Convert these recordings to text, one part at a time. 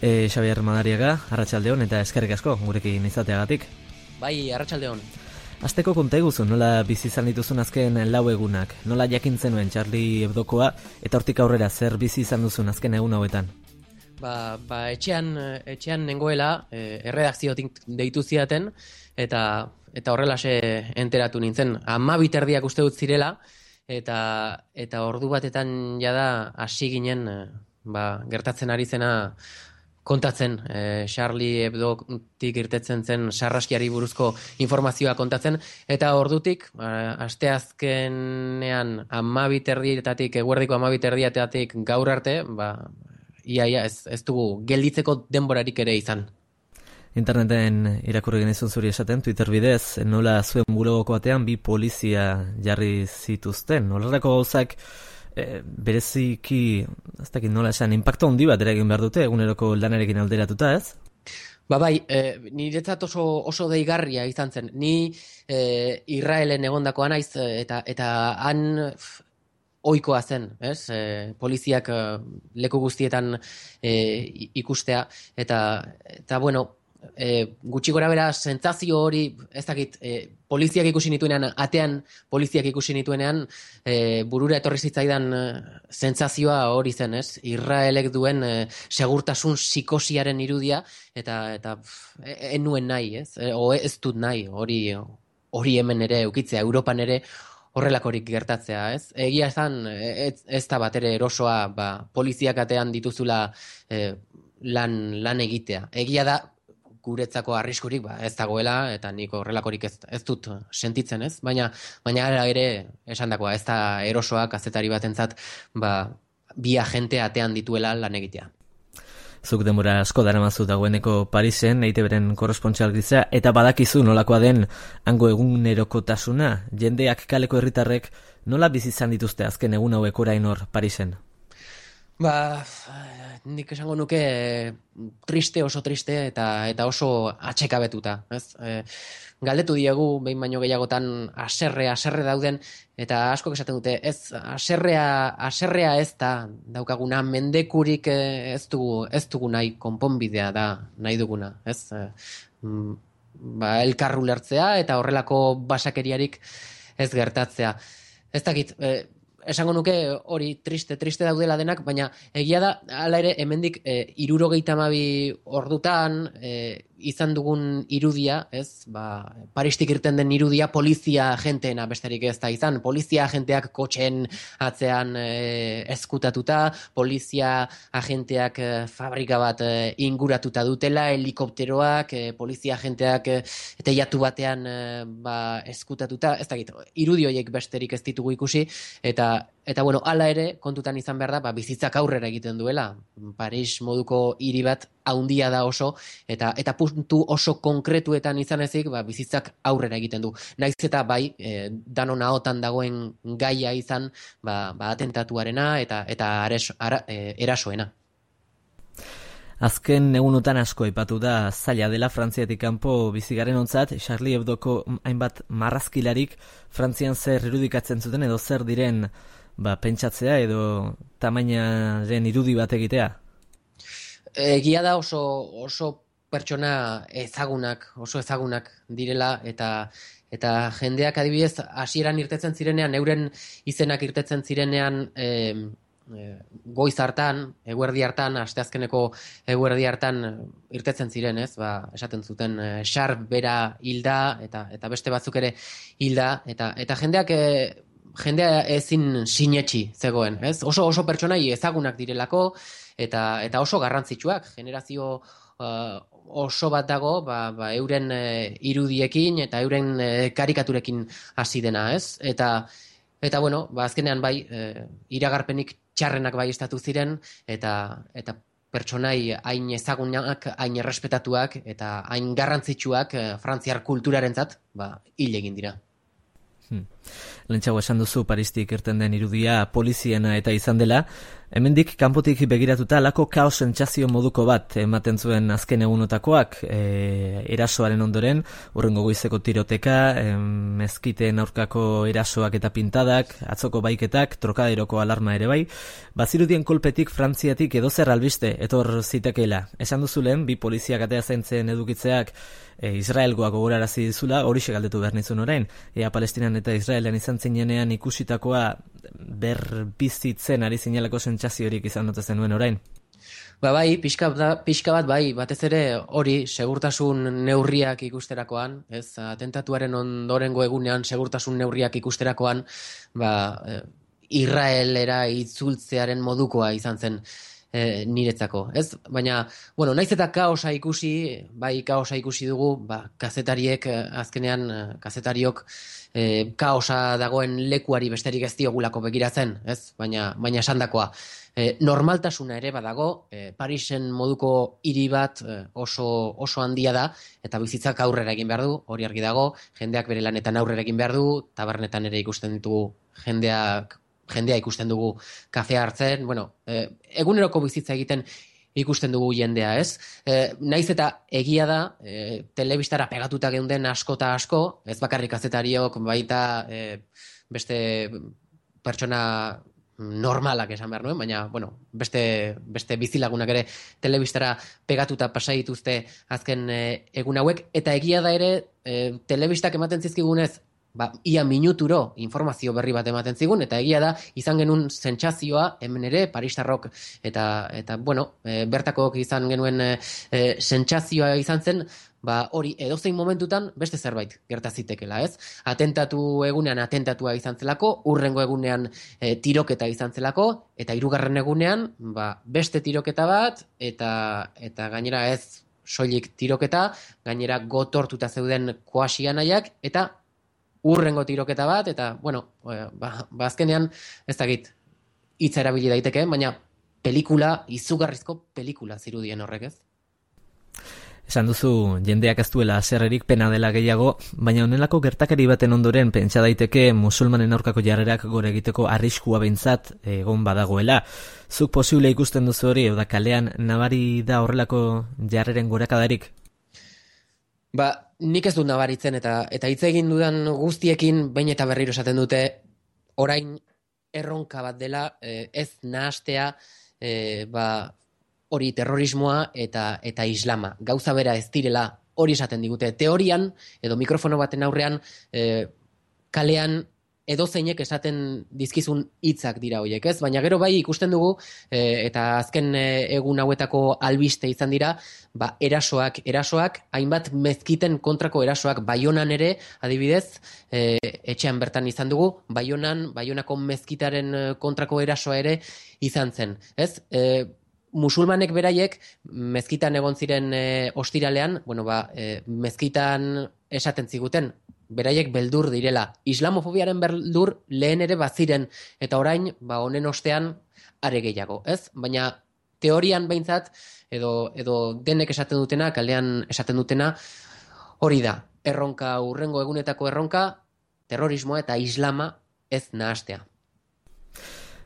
Xabier Madariaga, arratsaldeon eta eskerrik asko gurekin izateagatik. Bai, arratsaldeon. Asteko konta eguzu, nola bizi izan dituzun azken 4 egunak, nola jakin zenuen Charlie Hebdokoa eta hortik aurrera zer bizi izan duzun azken egun hauetan? Etxean nengoela, erredakziotik deitu zidaten eta horrelaxe enteratu nintzen. 12:30 uste dut zirela eta ordu batetan jada hasi ginen gertatzen ari zena kontatzen, Charlie Hebdotik irtetzen zen sarraskiari buruzko informazioa kontatzen, eta ordutik, asteazkenean 12:30-etatik, eguerdiko 12:30-etatik gaur arte, ia ez dugu gelditzeko denborarik ere izan. Interneten irakurri genizun zuri esaten, Twitter bidez, nola zuen bulogoko batean 2 polizia jarri zituzten. Nolarako gauzak bereziki, ez dakit nola esan, impacto handi bat eragin behar dute, eguneroko lanarekin alderatuta, ez? Niretzat oso deigarria izan zen. Ni Israelen egondakoa naiz eta han ohikoa zen, ez? Poliziak leku guztietan ikustea eta bueno, gutxi gora bera sentsazio hori, ez dakit, poliziak ikusi nituenean, atean poliziak ikusi nituenean, burura etorri zitzaidan sentsazioa hori zen, ez? Israelek duen segurtasun psikosiaren irudia eta enuen nahi, ez? Ez dut nahi, hori hemen ere eukitzea, Europan ere horrelakorik gertatzea, ez? Egia esan, ez da batere erosoa, poliziak atean dituzula lan egitea. Egia da, guretzako arriskurik ez dagoela, eta nik horrelakorik ez dut sentitzen, ez? Baina ara ere esandakoa, ez da erosoa kazetari batentzat bi agente atean dituela lan egitea. Zuk denbora asko daramazu dagoeneko Parisen, EITB-ren korrespontxal gisa, eta badakizu nolakoa den hango egunerokotasuna, jendeak kaleko herritarrek nola bizi izan dituzte azken egun hauek orain hor Parisen? Nik esango nuke oso triste eta oso atxekabetuta, ez? Galdetu diegu, behin baino gehiagotan, haserre dauden, eta askok esaten dute, ez, haserrea ez da daukaguna, mendekurik ez dugu nahi, konponbidea da nahi duguna, ez? Elkar ulertzea eta horrelako basakeriarik ez gertatzea. Ez dakit, esango nuke hori triste daudela denak, baina egia da, hala ere, hemendik 72 ordutan izan dugun irudia, ez? Paristik irten den irudia polizia agenteena besterik ez da izan. Polizia agenteak kotxen atzean ezkutatuta, polizia agenteak fabrika bat inguratuta dutela, helikopteroak, polizia agenteak teilatu batean ezkutatuta, ez dakit, irudi horiek besterik ez ditugu ikusi, eta bueno, hala ere, kontutan izan behar da, bizitzak aurrera egiten duela. Paris moduko hiri bat haundia da oso, eta puntu oso konkretuetan izan ezik, bizitzak aurrera egiten du. Naiz eta danon ahotan dagoen gaia izan, atentatuarena eta erasoena. Azken egunotan asko aipatu da zaila dela Frantziatik kanpo bizigaren ontzat, Charlie Hebdoko hainbat marrazkilarik Frantzian zer irudikatzen zuten edo zer diren pentsatzea edo tamainaren irudi bat egitea? Egia da oso pertsona oso ezagunak direla eta jendeak adibidez hasieran irtetzen zirenean, euren izenak irtetzen zirenean goiz hartan, eguerdi hartan, asteazkeneko eguerdi hartan irtetzen ziren, ez? Esaten zuten Sharp bera hilda eta beste batzuk ere hilda eta jendea ezin sinetsi zegoen, ez? Oso pertsonai ezagunak direlako eta oso garrantzitsuak, generazio oso bat dago, euren irudiekin eta euren karikaturekin hasi dena, ez? Eta bueno, azkenean iragarpenik txarrenak estatu ziren eta pertsonai hain ezagunak, hain errespetatuak eta hain garrantzitsuak Frantziar kulturarentzat hil egin dira. Lentsago esan duzu Paristik irten den irudia poliziena eta izan dela, hemendik kanpotik begiratuta lako kaos sentsazio moduko bat ematen zuen azken egunotakoak, erasoaren ondoren, hurrengo goizeko tiroteka, mezkiteen aurkako erasoak eta pintadak, atzoko baiketak, trokaderoko alarma ere bai, bazirudien kolpetik Frantziatik edozer albiste etor zitekeela. Esan duzu lehen, bi poliziak atea zaintzen edukitzeak Israelgoak gogorarazi dizula, horixe galdetu behar nizun orain. Ea Palestinan eta Israelen izan zinenean ikusitakoa berbizitzen ari zinelako sentsaziorik izan dute zenuen orain. Bai, pixka bat bai, batez ere hori segurtasun neurriak ikusterakoan, ez, atentatuaren ondorengo egunean segurtasun neurriak ikusterakoan, Israelera itzultzearen modukoa izan zen niretzako, ez? Baina, bueno, naiz eta kaosa ikusi dugu, kazetariek azkenean, kazetariok kaosa dagoen lekuari besterik ez diogulako begiratzen, ez? Baina esandakoa. Normaltasuna ere badago, Parisen moduko hiri bat oso handia da, eta bizitzak aurrera egin behar du, hori argi dago, jendeak bere lanetan aurrera egin behar du, tabernetan ere ikusten ditugu jendea ikusten dugu kafea hartzen, eguneroko bizitza egiten ikusten dugu jendea, ez? Naiz eta egia da, telebistara pegatuta geunden asko eta asko, ez bakarrik kazetariok, baita beste pertsona normalak esan behar nuen, baina, beste bizilagunak ere telebistara pegatuta pasai dituzte azken egun hauek, eta egia da ere, telebistak ematen zizkigunez, ia minuturo informazio berri bat ematen zigun, eta egia da, izan genuen sentsazioa, hemen ere, paristarrok, eta bertakook izan genuen sentsazioa izan zen, hori edozein momentutan beste zerbait gertazitekela, ez? Atentatu egunean atentatua izan zelako, hurrengo egunean tiroketa izan zelako, eta hirugarren egunean, beste tiroketa bat, eta gainera ez soilik tiroketa, gainera gotortuta zeuden koasianaiak, eta hurrengo tiroketa bat, eta, azkenean, ez dakit, hitza erabili daiteke, baina izugarrizko pelikula zirudien horrek, ez? Esan duzu, jendeak ez duela haserrerik, pena dela gehiago, baina honelako gertakari baten ondoren pentsa daiteke musulmanen aurkako jarrerak gore egiteko arriskua behintzat egon badagoela. Zuk posible ikusten duzu hori, oda kalean nabari da horrelako jarreren gorakadarik? Nik ez dut nabaritzen eta hitz egin dudan guztiekin behin eta berriro esaten dute orain erronka bat dela ez nahastea hori terrorismoa eta islama. Gauza bera ez direla hori esaten digute. Teorian edo mikrofono baten aurrean kalean edozeinek esaten dizkizun hitzak dira horiek, ez? Baina gero bai ikusten dugu eta azken egun hauetako albiste izan dira, erasoak, hainbat mezkiten kontrako erasoak, Baionan ere, adibidez, etxean bertan izan dugu, Baionako mezkitaren kontrako erasoa ere izan zen, ez? Musulmanek beraiek mezkitan egon ziren ostiralean, mezkitan esaten ziguten, beraiek beldur direla. Islamofobiaren beldur lehen ere baziren, eta orain, honen ostean, are gehiago, ez? Baina teorian behintzat, edo denek esaten dutena, kalean esaten dutena, hori da, hurrengo egunetako erronka, terrorismoa eta islama ez nahastea.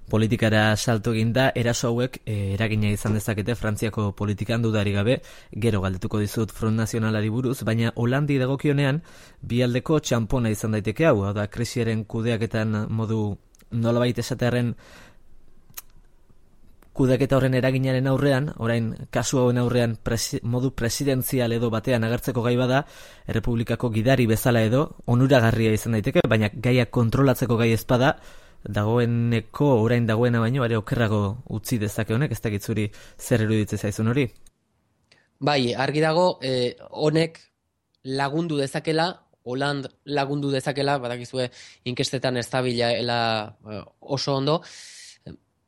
Politikara salto eginda, eraso hauek eragina izan dezakete Frantziako politikan dudarik gabe, gero galdetuko dizut Front Nazionalari buruz, baina Holandi dagokionean bi aldeko txanpona izan daiteke hau, da krisiaren kudeaketan modu nolabait esatearen kudeaketa horren eraginaren aurrean, orain kasu hauen aurrean modu presidentzial edo batean agertzeko gai bada, Errepublikako gidari bezala edo onuragarria izan daiteke, baina gaia kontrolatzeko gai ezpada, orain dagoena baino, are okerrago utzi dezake honek, ez dakit zuri zer iruditzen zaizun hori? Bai, argi dago, honek lagundu dezakela, Holand lagundu dezakela, badakizue inkestetan ez dabilela oso ondo,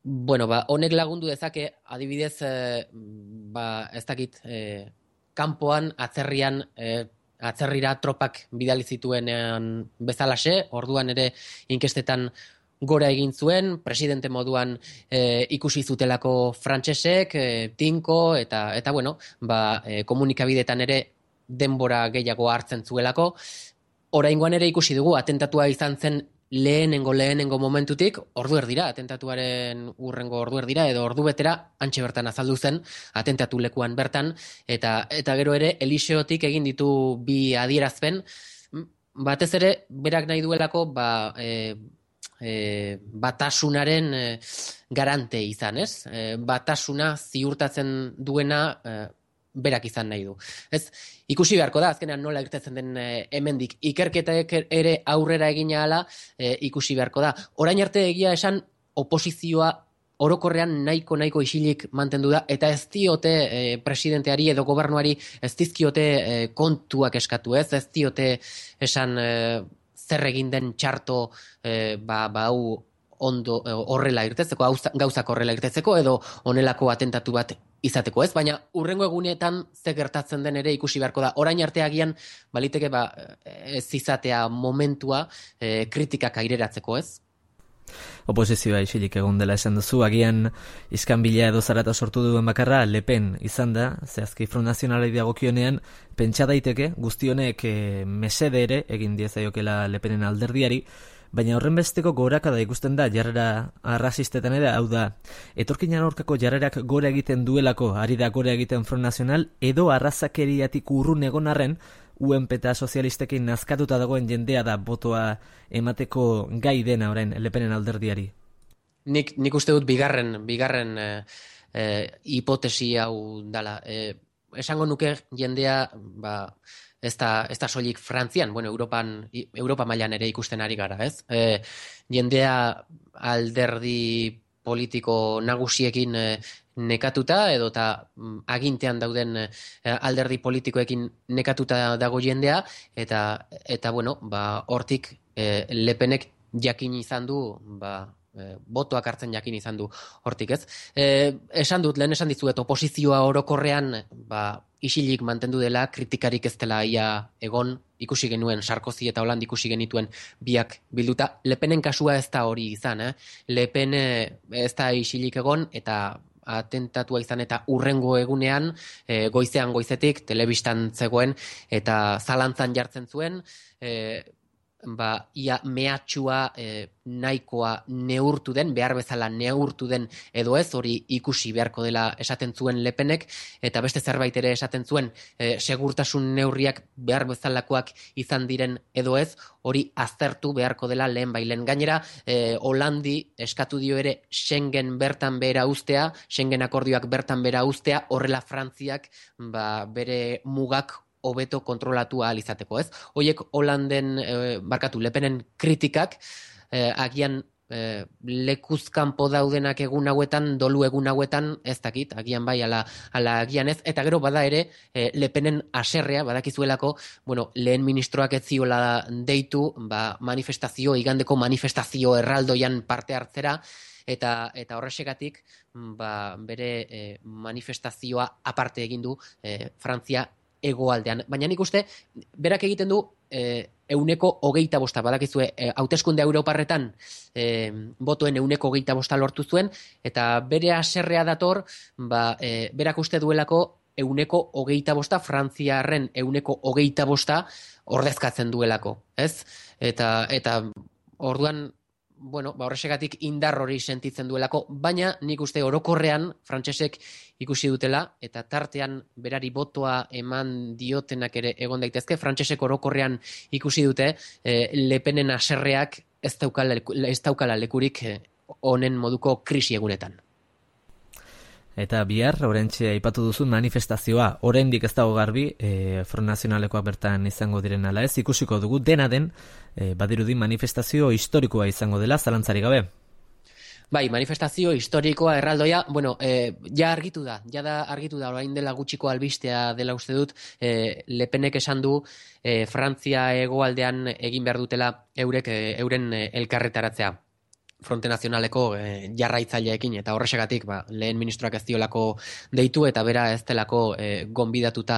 honek lagundu dezake, adibidez, ez dakit, kanpoan, atzerrira tropak bidali zituenean bezalaxe, orduan ere inkestetan gora egin zuen, presidente moduan ikusi zutelako frantsesek, tinko, eta komunikabidetan ere denbora gehiago hartzen zuelako. Oraingoan ere ikusi dugu, atentatua izan zen lehenengo momentutik, ordu erdira, atentatuaren urrengo ordu erdira, edo ordu betera, antxe bertan azaldu zen, atentatu lekuan bertan, eta gero ere, Eliseotik egin ditu bi adierazpen, batez ere, berak nahi duelako, batasunaren garante izan, ez? Batasuna ziurtatzen duena berak izan nahi du. Ez, ikusi beharko da, azkenean nola irtetzen den hemendik. Ikerketek ere aurrera egina hala ikusi beharko da. Orain arte egia esan oposizioa orokorrean nahiko isilik mantendu da, eta ez diote presidenteari edo gobernuari ez dizkiote kontuak eskatu, ez diote esan zer egin den txarto hau ondo horrela irtetzeko, gauzak horrela irtetzeko, edo honelako atentatu bat izateko, ez? Baina urrengo egunetan ze gertatzen den ere ikusi beharko da. Orain arte agian baliteke ez izatea momentua kritikak aireratzeko, ez? Oposizioa isilik egon dela esan duzu, agian iskanbila edo zarata sortu duen bakarra Le Pen izan da, zehazki Front Nazionalei dagokionean, pentsa daiteke guztionek mesede ere egin diezaiokela Le Penen alderdiari, baina horren besteko gorakada ikusten da jarrera arrazistetan ere, hau da, etorkinan aurkako jarrerak gora egiten duelako, ari da gora egiten Front Nazional, edo arrazakeriatik urrun egon arren, UNP eta sozialistekin nazkatuta dagoen jendea da botoa emateko gai dena orain Le Penen alderdiari. Nik uste dut bigarren hipotesi hau dala. Esango nuke jendea ez da soilik Frantzian, bueno, Europa mailan ere ikusten ari gara, ez? Jendea alderdi politiko nagusiekin nekatuta, edota agintean dauden alderdi politikoekin nekatuta dago jendea, eta bueno, hortik Le Penek jakin izan du, botoak hartzen jakin izan du hortik, ez? Lehen esan dizuet, oposizioa orokorrean isilik mantendu dela, kritikarik ez dela ia egon, ikusi genuen Sarkozy eta Hollande ikusi genituen biak bilduta. Le Penen kasua ez da hori izan, Le Pen ez da isilik egon, eta atentatua izan eta urrengo egunean, goizetik, telebistan zegoen, eta zalantzan jartzen zuen, ia mehatxua nahikoa neurtu den, behar bezala neurtu den edo ez, hori ikusi beharko dela esaten zuen Le Penek, eta beste zerbait ere esaten zuen, segurtasun neurriak behar bezalakoak izan diren edo ez, hori aztertu beharko dela lehen bailen. Gainera, Hollandi eskatu dio ere Schengen bertan behera uztea, Schengen akordioak bertan behera uztea, horrela Frantziak bere mugak hobeto kontrolatu ahal izateko, ez? Hoiek Hollanden, Le Penen kritikak, agian lekuzkanpo daudenak egun hauetan, dolu egun hauetan, ez dakit, agian bai, ala agian ez, eta gero bada ere, Le Penen aserrea, badakizuelako, bueno, lehen ministroak ez ziola deitu, igandeko manifestazio erraldoian parte hartzera, eta horrexegatik bere manifestazioa aparte egin du Frantzia hegoaldean. Baina nik uste, berak egiten du 125, badakizue, hauteskunde Europarretan botoen 125 lortu zuen, eta bere haserrea dator, berak uste duelako 125, Frantziarren 125 ordezkatzen duelako, ez? Eta orduan, bueno, horrexegatik indar hori sentitzen duelako, baina nik uste orokorrean frantsesek ikusi dutela, eta tartean berari botoa eman diotenak ere egon daitezke, frantsesek orokorrean ikusi dute Le Penen haserreak ez daukala lekurik honen moduko krisi egunetan. Eta bihar, orentxe aipatu duzun manifestazioa, oraindik ez dago garbi, Front Nazionalekoak bertan izango diren ala ez, ikusiko dugu, dena den, badirudi manifestazio historikoa izango dela, zalantzarik gabe. Bai, manifestazio historikoa erraldoia, bueno, ja argitu da, orain dela gutxiko albistea dela uste dut, Le Penek esan du, Frantzia hegoaldean egin behar dutela euren elkarretaratzea. Fronte Nazionaleko jarraitzaileekin, eta horrexegatik lehen ministroak ez diolako deitu, eta bera ez delako gonbidatuta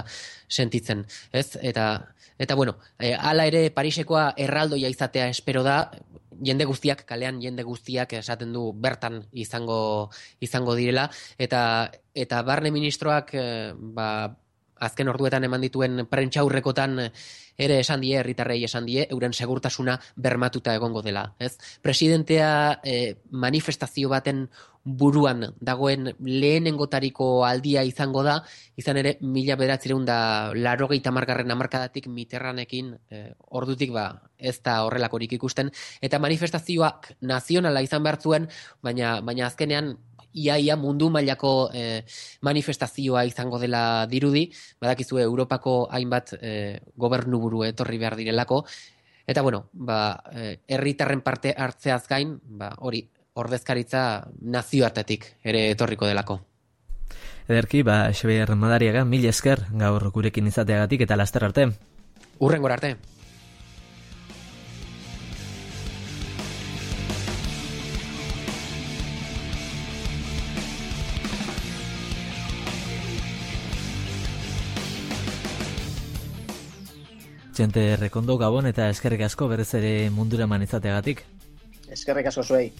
sentitzen, ez? Eta bueno, hala ere Parisekoa erraldoia izatea espero da, kalean jende guztiak esaten du bertan izango direla, eta barne ministroak azken orduetan eman dituen prentsaurrekotan ere esan die, herritarrei esan die, euren segurtasuna bermatuta egongo dela. Ez? Presidentea manifestazio baten buruan dagoen lehenengotariko aldia izango da, izan ere 1980 hamarkadatik Mitterrandekin ordutik ez da horrelakorik ikusten, eta manifestazioak nazionala izan behar zuen, baina azkenean ia mundu mailako manifestazioa izango dela dirudi, badakizue Europako hainbat gobernuburu etorri behar direlako, eta herritarren parte hartzeaz gain, hori ordezkaritza nazioartetik ere etorriko delako. Ederki, Xabier Madariaga, mil esker gaur gurekin izateagatik eta laster arte. Hurrengora arte. Txente Rekondo, Gabon eta eskerrik asko berez ere mundura eman izateagatik. Eskerrik asko zuei.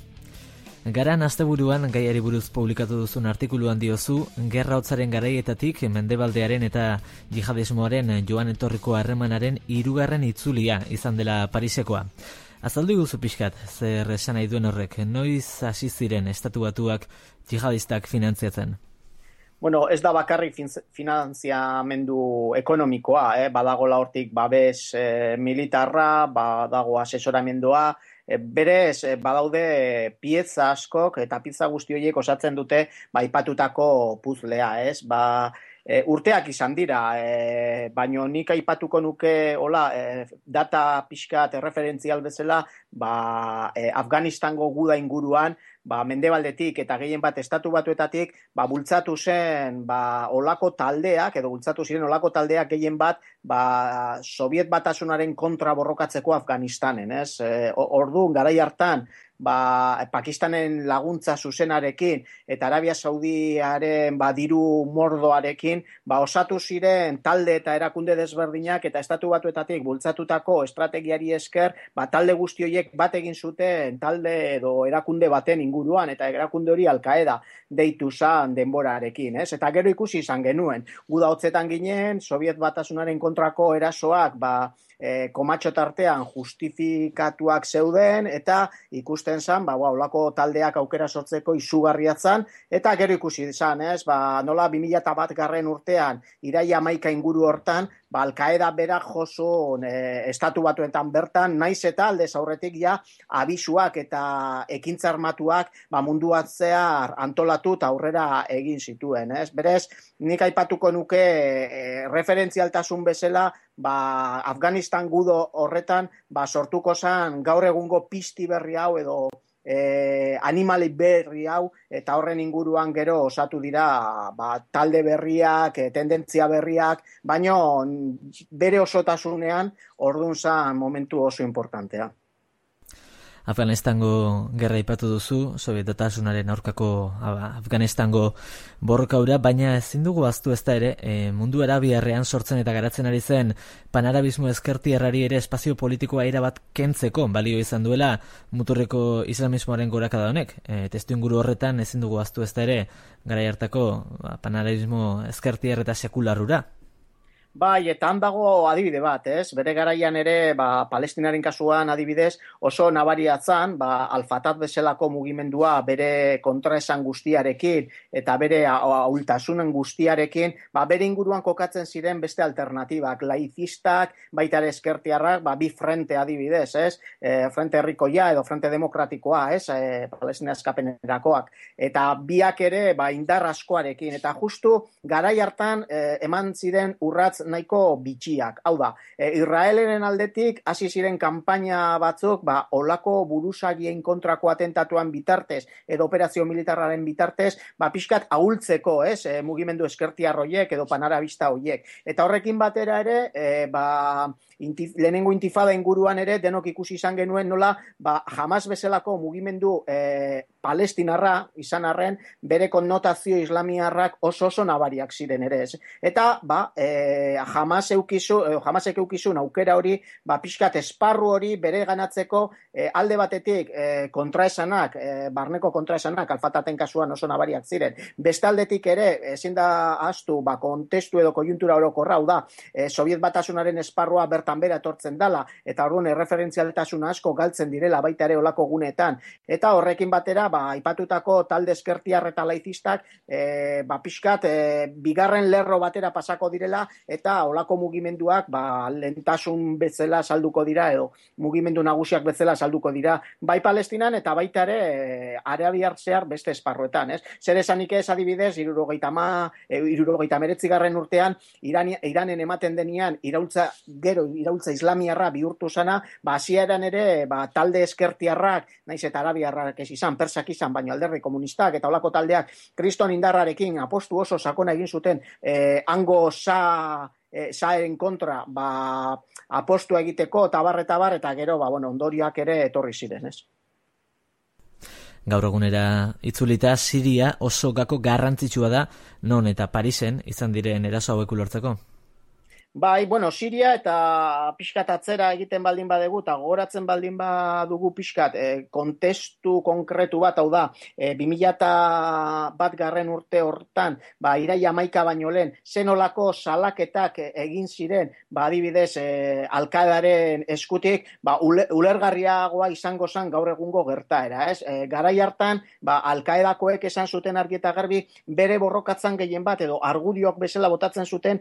Garan asteburuan gaiari buruz publikatu duzun artikuluan diozu, gerra hotzaren garaietatik mendebaldearen eta jihadismoaren joan etorriko harremanaren 3. itzulia izan dela Parisekoa. Azaldu guzu pixkat, zer esan nahi duen horrek, noiz hasi ziren estatu batuak jihadistak finantziatzen? Bueno, ez da bakarrik finantziamendu ekonomikoa, badagola hortik babes militarra, badago asesoramendua, berez badaude pieza askok eta pieza guzti horiek osatzen dute aipatutako puzlea, ez? Urteak izan dira, baino nik aipatuko nuke data pixkat erreferentzial bezala, Afganistango guda inguruan, mendebaldetik eta gehien bat estatu batuetatik, bultzatu zen olako taldeak, edo bultzatu ziren olako taldeak gehien bat, Soviet Batasunaren kontra borrokatzeko Afganistanen, ez? Orduan, garai hartan, Pakistanen laguntza zuzenarekin eta Arabia Saudiaren diru mordoarekin, osatu ziren talde eta erakunde desberdinak eta estatu batuetatik bultzatutako estrategiari esker, talde guzti horiek bat egin zuten talde edo erakunde baten inguruan, eta erakunde hori Al-Qaeda deitu zan denborarekin, ez? Eta gero ikusi izan genuen, guda hotzetan ginen, Soviet Batasunaren kontrako erasoak, komatxo tartean justifikatuak zeuden, eta ikusten zan, olako taldeak aukera sortzeko izugarriatzen, eta gero ikusi izan, ez? Nola 2001 urtean, iraia 11 inguru hortan, Al-Qaeda berak josun estatu batuetan bertan, naiz eta aldez aurretik abisuak eta ekintza armatuak mundu atzear antolatu eta aurrera egin zituen, ez? Berez, nik aipatuko nuke referentzialtasun bezala, Afganistan gudo horretan, sortuko zan gaur egungo pizti berri hau edo animali berri hau, eta horren inguruan gero osatu dira talde berriak, tendentzia berriak, baina bere osotasunean orduan zan momentu oso importantea. Afganistango gerra aipatu duzu, Soviet Batasunaren aurkako Afganistango borrokaura, baina ezin dugu ahaztu ezta ere, mundu arabiarrean sortzen eta garatzen ari zen panarabismo ezkertiarrari ere espazio politikoa erabat kentzeko balio izan duela muturreko islamismoaren gorakada honek. Testuinguru horretan ezin dugu ahaztu ezta ere garai hartako panarabismo ezkertiar eta sekularrura. Eta han dago adibide bat, ez? Bere garaian ere, Palestinaren kasuan adibidez, oso nabariatzen, Al-Fatah bezalako mugimendua bere kontraesan guztiarekin eta bere ahultasunen guztiarekin, bere inguruan kokatzen ziren beste alternatibak, laizistak, baita ere ezkertiarrak, bi frente adibidez, ez? Frente herrikoia edo frente demokratikoa, ez? Palestina eskapenerakoak. Eta biak ere, indar askoarekin. Eta justu, garai hartan, eman ziren urratz nahiko bitxiak. Hau da, Israeleren aldetik hasi ziren kanpaina batzuk, olako buruzagien kontrako atentatuan bitartez, edo operazio militarraren bitartez, pixkat ahultzeko, ez, mugimendu eskertiar hoiek edo panarabista hoiek. Eta horrekin batera ere, lehenengo intifada inguruan ere, denok ikusi izan genuen nola, Hamas bezalako mugimendu palestinarra izan arren, bere konnotazio islamiarrak oso nabariak ziren ere, ez. Eta, Hamasek eukizun aukera hori, pixkat esparru hori bere ganatzeko alde batetik kontraesanak, barneko kontraesanak, Alfataten kasuan oso nabariak ziren. Beste aldetik ere, ezin da ahaztu, kontestu edo kojuntura orokorra, hau da, Sobiet Batasunaren esparrua bertan bera etortzen dela, eta orduan erreferentzialtasuna asko galtzen direla baita ere olako guneetan. Eta horrekin batera, aipatutako talde eskertiar eta laizistak, pixkat, bigarren lerro batera pasako direla, eta olako mugimenduak, lentasun bezala salduko dira, edo mugimendu nagusiak bezala salduko dira, bai Palestinan eta baita ere arabiar zehar beste esparruetan, ez? Zer esanik ez adibidez, 79. urtean, Iranen ematen denean, iraultza islamiarra bihurtu zana, hasieran ere, talde eskertiarrak, naiz eta arabiarrak ez izan, persak izan, baina alderdi komunistak eta olako taldeak kriston indarrarekin apostu oso sakona egin zuten, hango zaeren kontra, apostua egiteko, tabar, eta gero, ondorioak ere etorri ziren, ez? Gaur egunera itzulita, Siria oso gako garrantzitsua da, non eta Parisen izan diren eraso hauek ulertzeko? Bai, Siria eta pixkat atzera egiten baldin badegu, eta gogoratzen baldin badugu pixkat kontestu konkretu bat, hau da, 2001 urte hortan, iraia 11 baino lehen, zenolako salaketak egin ziren, adibidez, Al-Qaedaren eskutik, ulergarriagoa izango zen gaur egungo gertaera, ez? Garai hartan, Al-Qaedakoek esan zuten argi eta garbi, bere borrokatzen gehien bat, edo argudioak bezala botatzen zuten,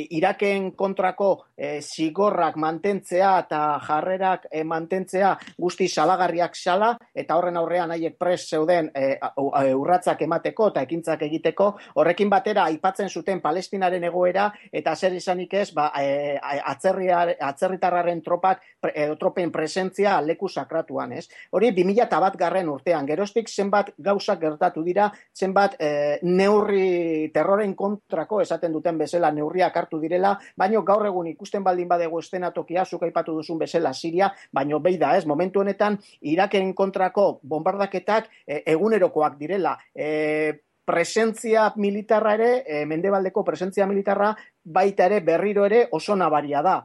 Iraken kontrako zigorrak mantentzea eta jarrerak mantentzea guzti salagarriak zala, eta horren aurrean haiek prest zeuden urratzak emateko eta ekintzak egiteko, horrekin batera aipatzen zuten Palestinaren egoera, eta zer izanik ez, atzerritarraren tropen presentzia leku sakratuan, ez? Hori 2001 urtean, geroztik zenbat gauzak gertatu dira, zenbat neurri terroren kontrako, esaten duten bezala neurriak hartu direla, baino gaur egun ikusten baldin badego eszenatokia, zuk aipatu duzun bezala Siria, baino beida ez, momentu honetan Iraken kontrako bombardaketak egunerokoak direla. Presentzia militarra ere, mendebaldeko presentzia militarra, baita ere berriro ere oso nabaria da.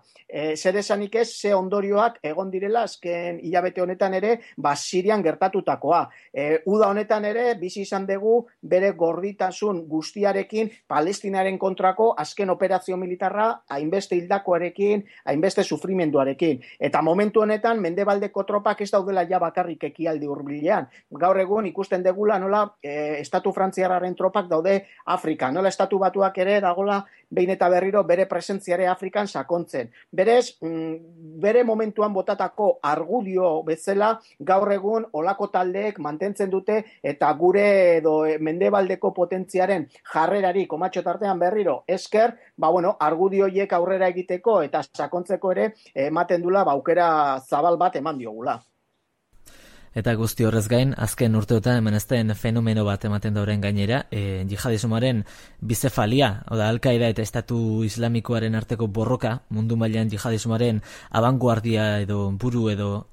Zer esanik ez, ze ondorioak egon direla azken hilabete honetan ere, Sirian gertatutakoa. Uda honetan ere, bizi izan dugu bere gorditasun guztiarekin Palestinaren kontrako azken operazio militarra hainbeste hildakoarekin, hainbeste sufrimenduarekin. Eta momentu honetan, mendebaldeko tropak ez daudela ja bakarrik ekialde hurbilean. Gaur egun ikusten degula nola estatu frantziarraren tropak daude Afrika. Nola estatu batuak ere dagola behin eta berriro bere presentziare Afrikan sakontzen. Berez, bere momentuan botatako argudio bezala gaur egun olako taldeek mantentzen dute eta gure edo mendebaldeko potentziaren jarrerari komatxo tartean berriro esker, argudio hiek aurrera egiteko eta sakontzeko ere ematen dula aukera zabal bat eman diogula. Eta guzti horrez gain, azken urteotan hemenezten fenomeno bat ematen dauren gainera, jihadismoaren bizefalia, oda Al-Qaeda eta Estatu Islamikoaren arteko borroka, mundu mailan jihadismoaren abanguardia edo buru edo,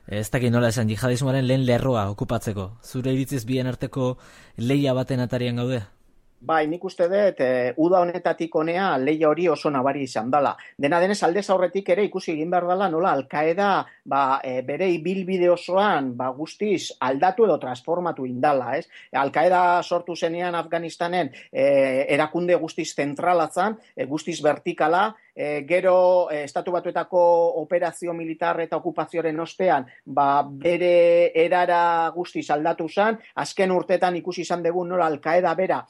ez dakit nola esan, jihadismoaren lehen lerroa okupatzeko. Zure iritziz bien arteko lehia baten atarian gaude? Bai, nik uste dut, uda honetatik honea lehia hori oso nabari izan dela. Dena denez aldez aurretik ere ikusi egin behar dela nola Al-Qaeda bere ibilbide osoan guztiz aldatu edo transformatu indala, ez? Al-Qaeda sortu zenean Afganistanen erakunde guztiz zentralatzen, guztiz vertikala, gero Estatu Batuetako operazio militar eta okupazioaren ostean bere erara guztiz aldatu zen, azken urtetan ikusi izan dugu nola Al-Qaeda bera,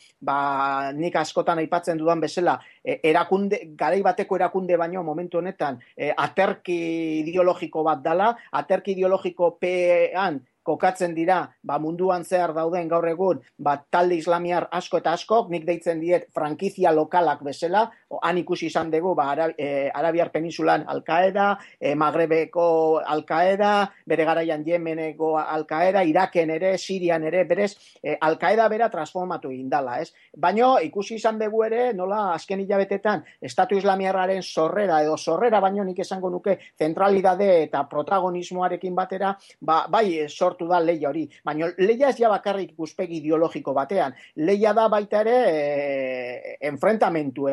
nik askotan aipatzen dudan bezala, garai bateko erakunde baino momentu honetan aterki ideologiko bat dala, aterki ideologiko pean kokatzen dira, munduan zehar dauden gaur egun, talde islamiar asko eta askok, nik deitzen diet frankizia lokalak bezala, han ikusi izan dugu, Arabiar Peninsulan Al-Qaeda, Magrebeko Al-Qaeda, bere garaian Yemeneko Al-Qaeda, Iraken ere, Sirian ere, berez, Al-Qaeda bera transformatu indala, ez? Baino, ikusi izan dugu ere, nola azken hilabetetan, Estatu Islamiarraren sorrera baino nik esango nuke zentralidade eta protagonismoarekin batera, bai, sortu sortu da lehia hori. Baina lehia ez ja bakarrik ikuspegi ideologiko batean. Lehia da baita ere enfrentamentu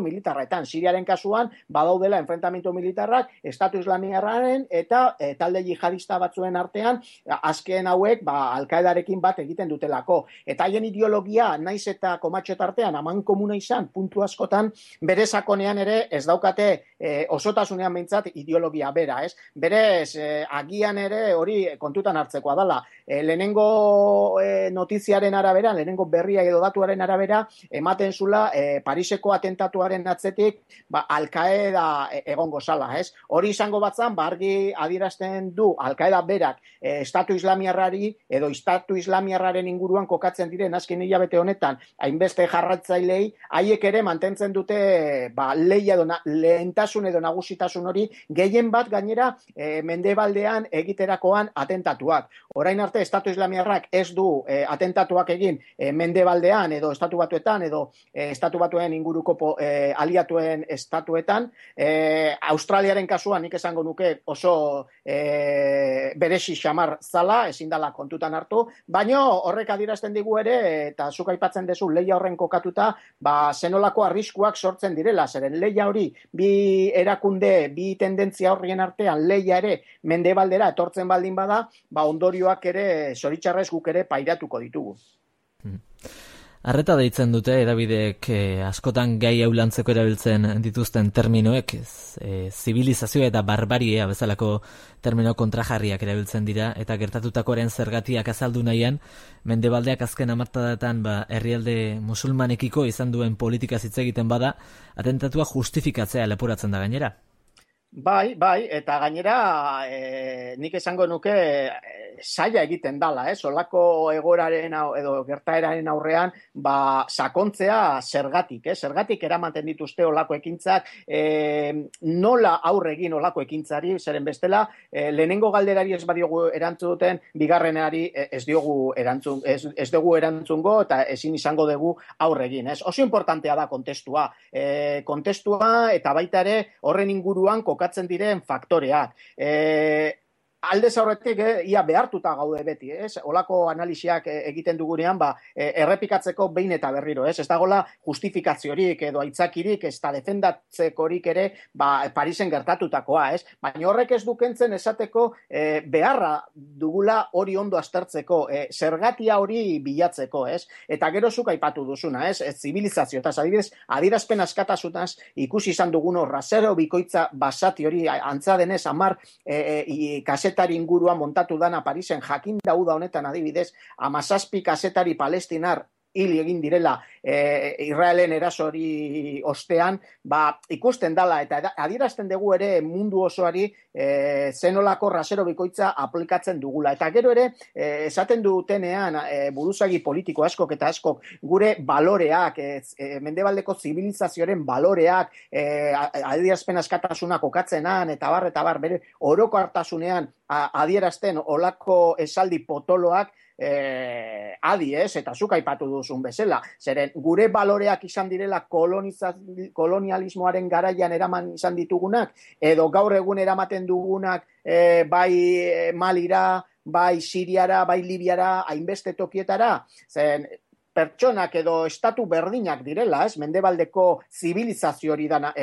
militarretan. Siriaren kasuan badaudela enfrentamentu militarrak Estatu Islamiarraren eta talde jihadista batzuen artean, azken hauek Al-Qaedarekin bat egiten dutelako. Eta haien ideologia naiz eta komatxotartean aman komuna izan puntu askotan, bere sakonean ere ez daukate osotasunean behintzat ideologia bera, ez? Berez, agian ere hori kontutan hartzekoa dela. Lehenengo notiziaren arabera, lehenengo berria edo datuaren arabera, ematen zula Pariseko atentatuaren atzetik Al-Qaeda egongo zala, ez? Hori izango batzan, argi adierazten du Al-Qaeda berak Estatu Islamiarrari edo Estatu Islamiarraren inguruan kokatzen diren azken hilabete honetan, hainbeste jarratzailei, haiek ere mantentzen dute lehia edo lehentasun edo nagusitasun hori, gehien bat gainera mendebaldean egiterakoan atentatuak. Orain arte Estatu Islamiarrak ez du atentatuak egin mendebaldean edo Estatu Batuetan edo Estatu Batuen inguruko aliatuen estatuetan. Australiaren kasuan nik esango nuke oso beresi xamar zala, ezin dela kontutan hartu, baina horrek adierazten digu ere, eta zuk aipatzen duzu lehia horren kokatuta, zenolako arriskuak sortzen direla, zeren lehia hori bi erakunde, bi tendentzia horrien artean lehia ere mendebaldera etortzen baldin bada, ondorioak ere zoritxarrez guk ere pairatuko ditugu. Arreta deitzen dute edabideek askotan gai eulantzeko erabiltzen dituzten terminoek, zibilizazioa eta barbaria bezalako termino kontrajarriak erabiltzen dira, eta gertatutakoaren zergatiak azaldu nahian, mendebaldeak azken hamarkadatan herrialde musulmanekiko izan duen politika hitz egiten bada, atentatua justifikatzea leporatzen da gainera. Bai, eta gainera nik esango nuke saia egiten dala, olako egoraren edo gertaeraren aurrean sakontzea zergatik, zergatik eramaten dituzte olako ekintzak, nola aurre egin olako ekintzari, zeren bestela, lehenengo galderari ez badiogu erantzuten, bigarrenari ez dugu erantzungo eta ezin izango dugu aurre egin, Oso importantea da kontestua eta baita ere horren inguruan kokatzen diren faktoreak. Aldez aurretik ia behartuta gaude beti, olako analisiak egiten dugunean errepikatzeko behin eta berriro, ez dagoela justifikaziorik edo aitzakirik ez da defendatzekorik ere Parisen gertatutakoa, baina horrek ez dukentzen esateko beharra dugula hori ondo aztertzeko, zergatia hori bilatzeko, eta gero zuk aipatu duzuna, zibilizazio, eta adierazpen askatasunaz ikusi izan dugun rasero bikoitza basati hori antza denez 10 kasetari inguruan montatu dana Parisen, jakin dauda honetan adibidez 17 kasetari palestinar hil egin direla Israelen erasori ostean, ikusten dala eta adierazten dugu ere mundu osoari zenolako rasero bikoitza aplikatzen dugula. Eta gero ere, esaten dutenean buruzagi politiko askok eta askok gure baloreak, mendebaldeko zibilizazioaren baloreak, adierazpen askatasuna kokatzenan, eta bar, bere oroko hartasunean adierazten olako esaldi potoloak, eta zuk aipatu duzun bezala, zeren gure baloreak izan direla kolonialismoaren garaian eraman izan ditugunak, edo gaur egun eramaten dugunak bai Malira, bai Siriara, bai Libiara, hainbeste tokietara, zeren pertsonak edo estatu berdinak direla, mendebaldeko zibilizazio hori da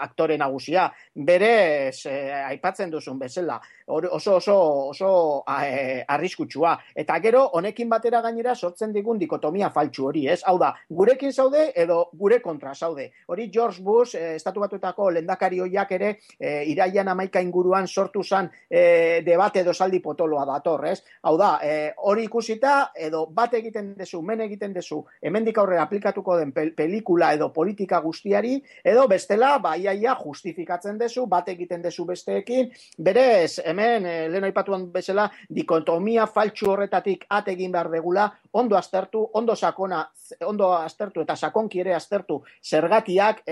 aktore nagusia, berez aipatzen duzun bezala, oso arriskutsua. Eta gero, honekin batera gainera sortzen digun dikotomia faltsu hori, Hau da, gurekin zaude edo gure kontra zaude. Hori George Bush, Estatu Batuetako lehendakari hoiak ere, irailean 11 inguruan sortu zan debate edo saldi potoloa dator, Hau da, hori ikusita edo bat egiten dezu, men egiten dezu, hemendik aurrera aplikatuko den pelikula edo politika guztiari, edo bestela, iaia justifikatzen dezu, bat egiten dezu besteekin, berez, hemen, lehen aipatuan bezala, dikotomia faltsu horretatik egin behar degula, ondo aztertu, ondo aztertu eta sakonki ere aztertu zergatiak,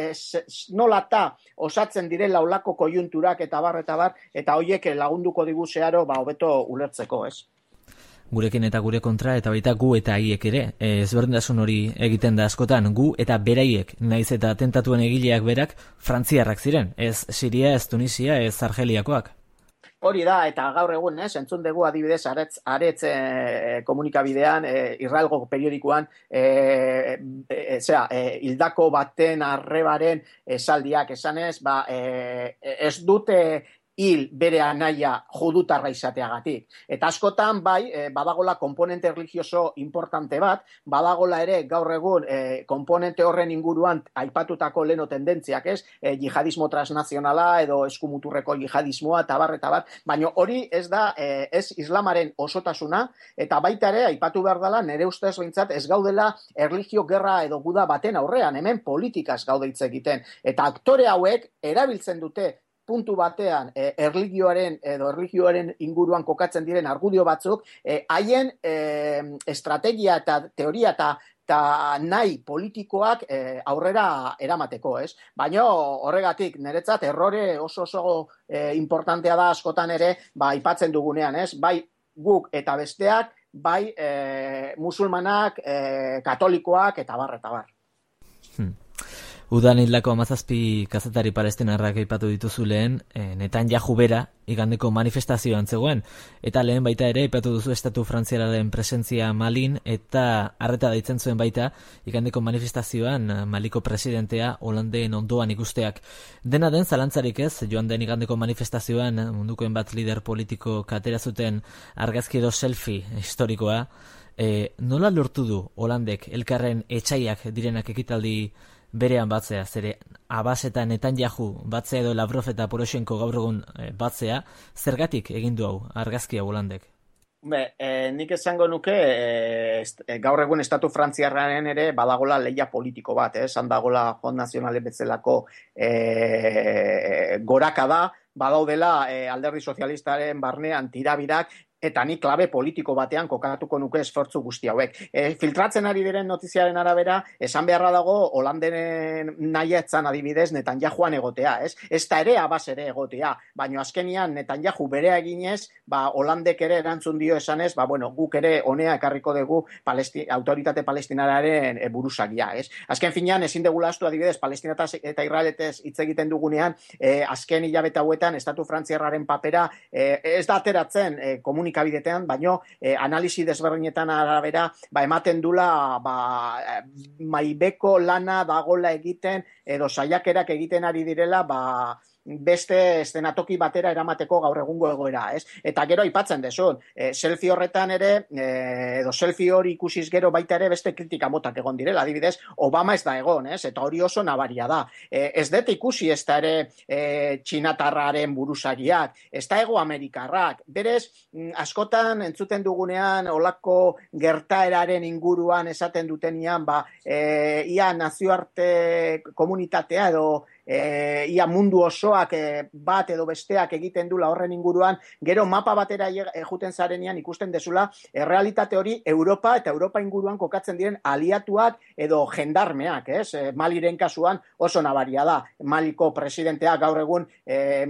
nolata osatzen direla olako kojunturak eta bar, eta hoiek lagunduko digu zeharo, hobeto ulertzeko, Gurekin eta gure kontra, eta baita gu eta haiek ere, ezberdintasun hori egiten da askotan, gu eta beraiek, naiz eta atentatuen egileak berak, frantziarrak ziren, ez Siria, ez Tunisia, ez Argeliakoak. Hori da, eta gaur egun, entzun dugu adibidez, aretz komunikabidean, Israelgo periodikoan, hildako baten arrebaren esaldiak esanez, ez dute hil bere anaia judutarra izateagatik. Eta askotan, badagola komponente religioso importante bat, badagola ere gaur egun komponente horren inguruan aipatutako leno tendentziak, jihadismo transnazionala edo eskumuturreko jihadismoa, eta bat, baina hori ez da, ez islamaren osotasuna, eta baita ere, aipatu behar dela, nire ustez behintzat ez gaudela erlijio gerra edo guda baten aurrean, hemen politikaz gaude hitz egiten. Eta aktore hauek erabiltzen dute puntu batean erlijioaren inguruan kokatzen diren argudio batzuk, haien estrategia eta teoria eta nahi politikoak aurrera eramateko, ez? Baina horregatik, niretzat errore oso importantea da askotan ere, aipatzen dugunean, ez? Bai guk eta besteak, bai musulmanak, katolikoak eta bar. Udan hildako 17 kazetari palestinarrak aipatu dituzu lehen, Netanyahu bera igandeko manifestazioan zegoen, eta lehen baita ere aipatu duzu estatu frantziararen presentzia Malin, eta arreta deitzen zuen baita igandeko manifestazioan Maliko presidentea Hollanden ondoan ikusteak. Dena den zalantzarik ez, joan den igandeko manifestazioan mundukoen bat lider politiko katera zuten argazki edo selfie historikoa, nola lortu du Hollandek elkarren etxaiak direnak ekitaldi berean batzea, zere Abbas eta Netanyahu batzea edo Lavrov eta Poroshenko gaur egun batzea, zergatik egin du hau argazkia Hollandek? Nik esango nuke gaur egun estatu frantziarraren ere badagola lehia politiko bat, handagola Front Nazionale bezalako goraka da, badaudela alderdi sozialistaren barnean tirabirak, eta ni klabe politiko batean kokatuko nuke esfortzu guzti hauek. Filtratzen ari diren notiziaren arabera, esan beharra dago Hollanderen nahietzan adibidez Netanyahuan egotea, ez? Ez da ere Abbas ere egotea, baina azkenian Netanyahu berea eginez, Hollandek ere erantzun dio esanez, guk ere honea ekarriko dugu autoritate palestinararen buruzagia, ez? Azken finean, ezin degula astu adibidez, Palestina eta Israeletez hitz egiten dugunean, azken hilabete hauetan, estatu frantziarraren papera, ez da ateratzen komunikabidetean, baino analisi desberdinetan arabera, ematen dula maibeko lana dagola egiten, edo saiakerak egiten ari direla, beste eszenatoki batera eramateko gaur egungo egoera, ez? Eta gero aipatzen desun, selfie horretan ere, edo selfie hori ikusiz gero baita ere beste kritika motak egon direla, adibidez, Obama ez da egon, ez? Eta hori oso nabaria da. Ez dut ikusi ez da ere txinatarraren buruzagiak, ez da ego amerikarrak, berez, askotan entzuten dugunean olako gertaeraren inguruan esaten dutenian, ia nazioarte komunitatea edo ia mundu osoak bat edo besteak egiten dula horren inguruan, gero mapa batera juten zarenean ikusten dezula, errealitate hori Europa eta Europa inguruan kokatzen diren aliatuak edo jendarmeak, Maliren kasuan oso nabaria da. Maliko presidentea gaur egun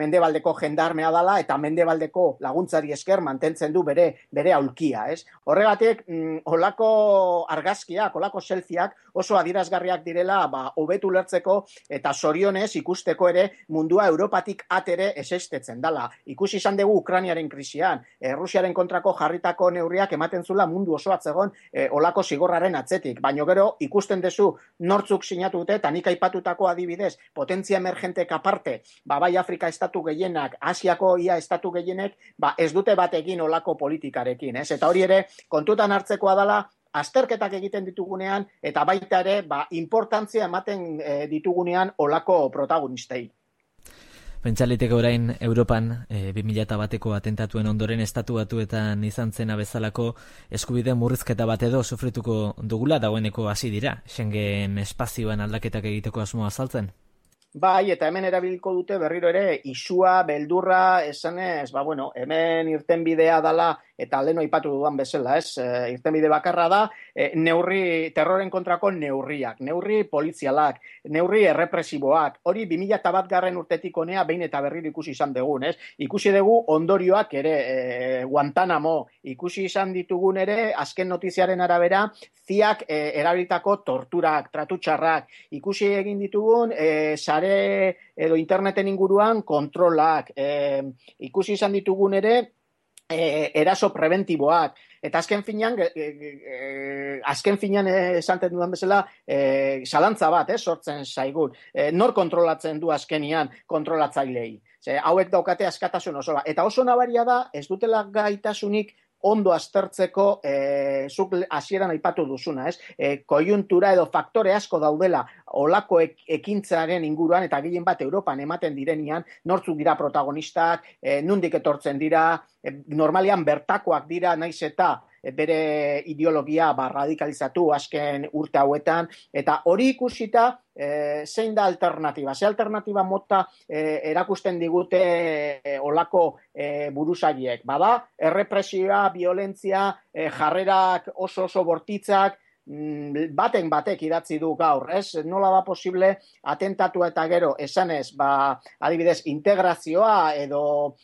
mendebaldeko jendarmea dala eta mendebaldeko laguntzari esker mantentzen du bere aulkia, Horregatik, holako argazkiak, holako selfieak oso adierazgarriak direla hobetu lertzeko eta zorionez ikusteko ere mundua Europatik atere esestetzen dala. Ikusi izan dugu Ukrainiaren krisian, Rusiaren kontrako jarritako neurriak ematen zula mundu osoa zegoen olako zigorraren atzetik, baino gero ikusten duzu nortzuk sinatu dute, eta nik aipatutako adibidez, potentzia emergentek aparte, bai Afrika estatu gehienak, Asiako ia estatu gehienek, ez dute bat egin olako politikarekin, Eta hori ere kontutan hartzekoa dala, azterketak egiten ditugunean, eta baita ere, importantzia ematen ditugunean olako protagonistei. Pentsaliteke orain Europan 2001ko atentatuen ondoren estatu batuetan izan zena bezalako eskubide murrizketa bat edo sufrituko dugula, dagoeneko hasi dira, Schengen espazioan aldaketak egiteko asmoa azaltzen? Bai, eta hemen erabiliko dute berriro ere isua, beldurra, esanez, hemen irten bidea dala eta lehen aipatu dudan bezala, irtenbide bakarra da, terroren kontrako neurri polizialak, neurri errepresiboak, hori 2001 garren urtetik honea behin eta berriro ikusi izan dugun, ikusi dugu ondorioak ere, Guantanamo, ikusi izan ditugun ere, azken notiziaren arabera, ziak erabilitako torturak, tratutxarrak, ikusi egin ditugun, sare edo interneten inguruan kontrolak, ikusi izan ditugun ere, eraso preventiboak, eta azken finean esanten dudan bezala, zalantza bat, sortzen zaigun. Nor kontrolatzen du azkenian kontrolatzailei? Hauek daukate askatasun osoa. Eta oso nabaria da, ez dutela gaitasunik ondo aztertzeko, zuk hasieran aipatu duzuna, koiuntura edo faktore asko daudela olako ekintzaren inguruan, eta gehien bat Europan ematen direnian, nortzuk dira protagonistak, nondik etortzen dira, normalian bertakoak dira, naiz eta bere ideologia radikalizatu azken urte hauetan, eta hori ikusita zein da alternatiba? Ze alternatiba mota erakusten digute olako buruzaiek? Bada, errepresioa, violentzia, jarrerak oso bortitzak, batek idatzi du gaur, nola da posible atentatua eta gero esanez, adibidez, integrazioa edo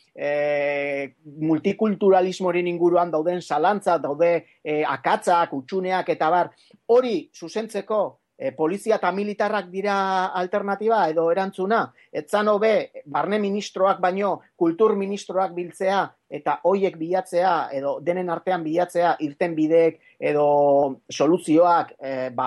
multikulturalismorin inguruan dauden zalantza, daude akatzak, utxuneak eta bar, hori zuzentzeko polizia eta militarrak dira alternatiba edo erantzuna, etzan hobe barne ministroak baino kultur ministroak biltzea eta hoiek bilatzea edo denen artean bilatzea irtenbideek edo soluzioak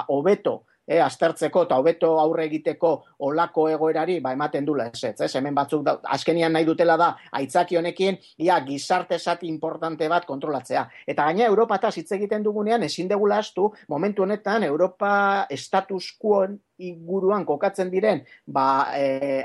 hobeto aztertzeko eta hobeto aurre egiteko olako egoerari ematen dula ez, hemen batzuk azkenian nahi dutela da aitzaki honekin gizarte zati importante bat kontrolatzea. Eta gaina Europataz hitz egiten dugunean ezin degula ahaztu momentu honetan Europa status quo inguruan kokatzen diren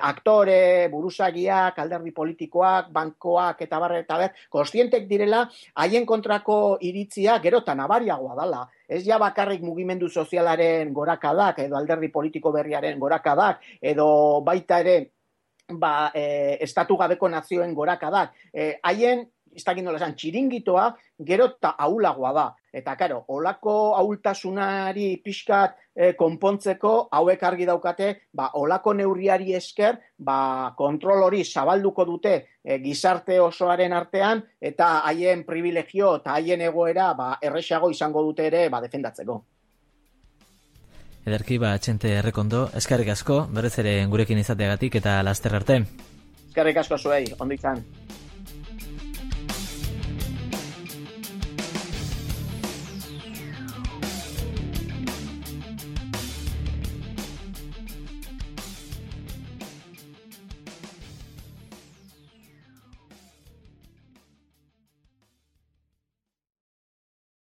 aktore, buruzagiak, alderdi politikoak, bankoak eta bar, kontzientek direla haien kontrako iritzia gero eta nabariagoa dela. Ez ja bakarrik mugimendu sozialaren gorakadak edo alderdi politiko berriaren gorakadak edo baita ere estatu gabeko nazioen gorakadak. Haien txiringitoa gero eta ahulagoa da. Eta, karo, olako ahultasunari pixkat konpontzeko hauek argi daukate, olako neurriari esker, kontrol hori zabalduko dute gizarte osoaren artean, eta haien privilegio eta haien egoera erresago izango dute ere defendatzeko. Ederki, Txente Errekondo, eskerrik asko, berez ere gurekin izateagatik eta laster arte. Eskerrik asko zuei, ondo izan.